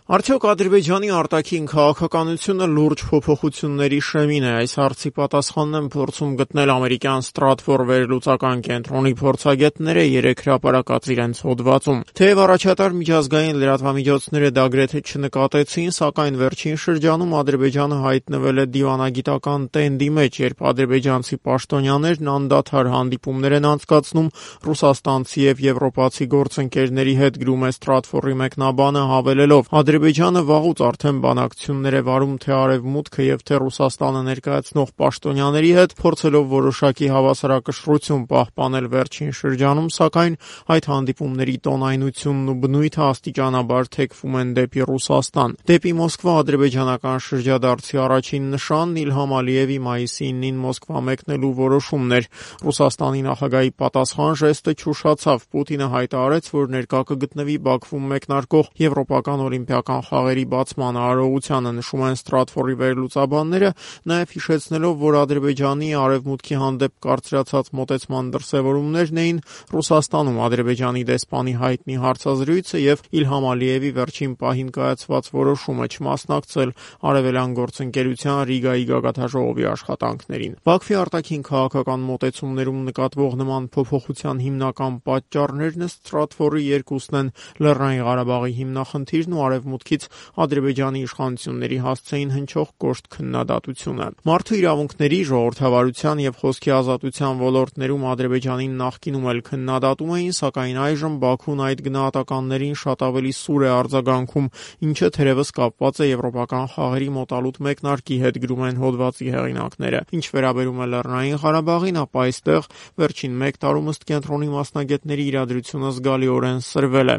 Արդյոք Ադրբեջանի արտաքին քաղաքականությունը լուրջ փոփոխությունների շեմին է։ Այս հարցի պատասխանն են փորձում գտնել ամերիկյան Stratfor վերլուծական կենտրոնի փորձագետները երեք հրապարակած իրենց հոդվածում։ Թեև առաջատար միջազգային լրատվամիջոցները դա գրեթե չնկատեցին, սակայն վերջին շրջանում Ադրբեջանը հայտնվել է դիվանագիտական տենդի մեջ, երբ ադրբեջանցի պաշտոնյաներն անդադար հանդիպումներ են անցկացնում ռուսաստանցի եւ եվրոպացի գործընկերների հետ, գրում է Stratfor-ի մեկնաբանը, հավելելով. Ադրբեջանը վաղուց արդեն բանակցություններ է վարում թե Արևմուտքը եւ թե Ռուսաստանը ներկայացնող պաշտոնյաների հետ, փորձելով որոշակի հավասարակշռություն պահպանել վերջին շրջանում, սակայն այդ հանդիպումների տոնայնությունն ու բնույթը աստիճանաբար թեքվում են դեպի Ռուսաստան։ Դեպի Մոսկվա ադրբեջանական շրջադարձի առաջին նշանն Իլհամ Ալիևի մայիսի 9-ին Մոսկվա մեկնելու որոշումն էր։ Ռուսաստանի նախագահի պատասխան ժեստը չուշացավ։ Պուտինը հայտարարեց, որ ներկա կգտնվի Բաքվում մեկնարկող եվրոպական օլիմպիական խաղերի բացման արարողությանը, նշում են Stratfor-ի վերլուծաբանները, նաև հիշեցնելով, որ Ադրբեջանի Արևմուտքի հանդեպ կարծրացած մոտեցման դրսևորումներն էին Ռուսաստանում Ադրբեջանի դեսպանի հայտնի հարցազրույցը եւ Իլհամ Ալիևի վերջին պահին կայացված որոշումը չմասնակցել Արևելյան գործընկերության Ռիգայի գագաթնաժողովի աշխատանքներին։ Բաքվի արտաքին քաղաքական մոտեցումներում նկատվող նման փոփոխության հիմնական պատճառներն Stratfor-ի երկուսն են՝ Լեռնային Ղարաբաղի հիմնախնդիրն ու Արևմուտքից Ադրբեջանի իշխանությունների հասցեին հնչող կոշտ քննադատությունը։ Մարդու իրավունքների, ժողովրդավարության եւ խոսքի ազատության ոլորտներում Ադրբեջանին նախկինում էլ քննադատում էին, սակայն այժմ Բաքուն այդ գնահատականներին շատ ավելի սուր է արձագանքում, ինչը թերևս կապված է եվրոպական խաղերի մոտալուտ մեկնարկի հետ, գրում են հոդվածի հեղինակները։ Ինչ վերաբերում է Լեռնային Ղարաբաղին, ապա այստեղ վերջին 1 տարում ըստ կենտրոնի մասնագետների իրադրությունը զգալիորեն սրվել է։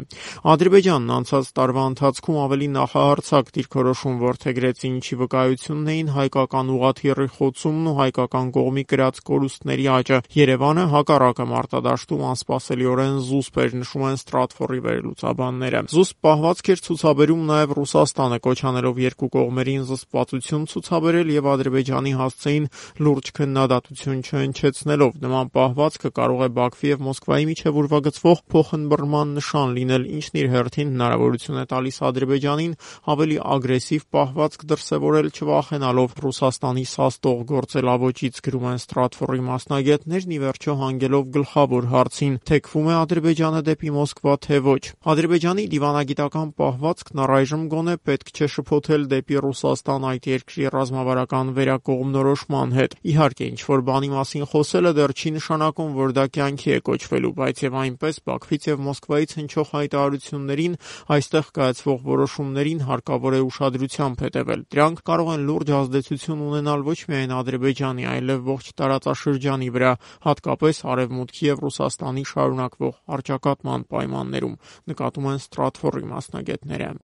Ադրբեջանն անցած տարվա ընթացքում ավելի նախահարձակ դիրքորոշում որդեգրեց, ինչի վկայությունն էին հայկական ուղղաթիռի խոցումն ու հայկական կողմի կրած կորուստների աճը։ Երևանը հակառակը մարտադաշտում անսպասելիորեն զուսպ էր, նշում են Stratfor-ի վերլուծաբանները։ Զուսպ պահվածք էր ցուցաբերում նաև Ռուսաստանը, կոչ անելով երկու կողմերին զսպվածություն ցուցաբերել եւ Ադրբեջանի հասցեին լուրջ քննադատություն չհնչեցնելով։ Նման պահվածքը կարող է Բաքվի եւ Մոսկվայի միջև ուրվագծվող փոխըմբռնման նշան լինել, ինչն իր հերթին հնարավորություն է տալիս Ադրբեջանին ավելի ագրեսիվ պահվածք դրսևորել, չվախենալով Ռուսաստանի սաստող գործելավոճից, գրում են Stratfor-ի մասնագետներն, ի վերջո հանգելով գլխավոր հարցին՝ թեքվում է Ադրբեջանը դեպի Մոսկվա, թե ոչ։ Ադրբեջանի դիվանագիտական պահվածքն առայժմ գոնե պետք չէ շփոթել դեպի Ռուսաստան այդ երկրի ռազմավարական վերակողմնորոշման հետ։ Իհարկե, ինչ-որ բանի մասին խոսելը դեռ չի նշանակում, որ դա կյանքի է կոչվելու, բայց եւ այնպես Բաքվից եւ Մոսկվայից հնչող հայտարարություններին, այստեղ կայացվող որոշումներին հարկավոր է ուշադրությամբ հետևել։ Դրանք կարող են լուրջ ազդեցություն ունենալ ոչ միայն Ադրբեջանի, այլև ողջ տարածաշրջանի վրա, հատկապես Արևմուտքի եւ Ռուսաստանի շարունակվող առճակատման պայմաններում, նկատում են Stratfor-ի մասնագետները։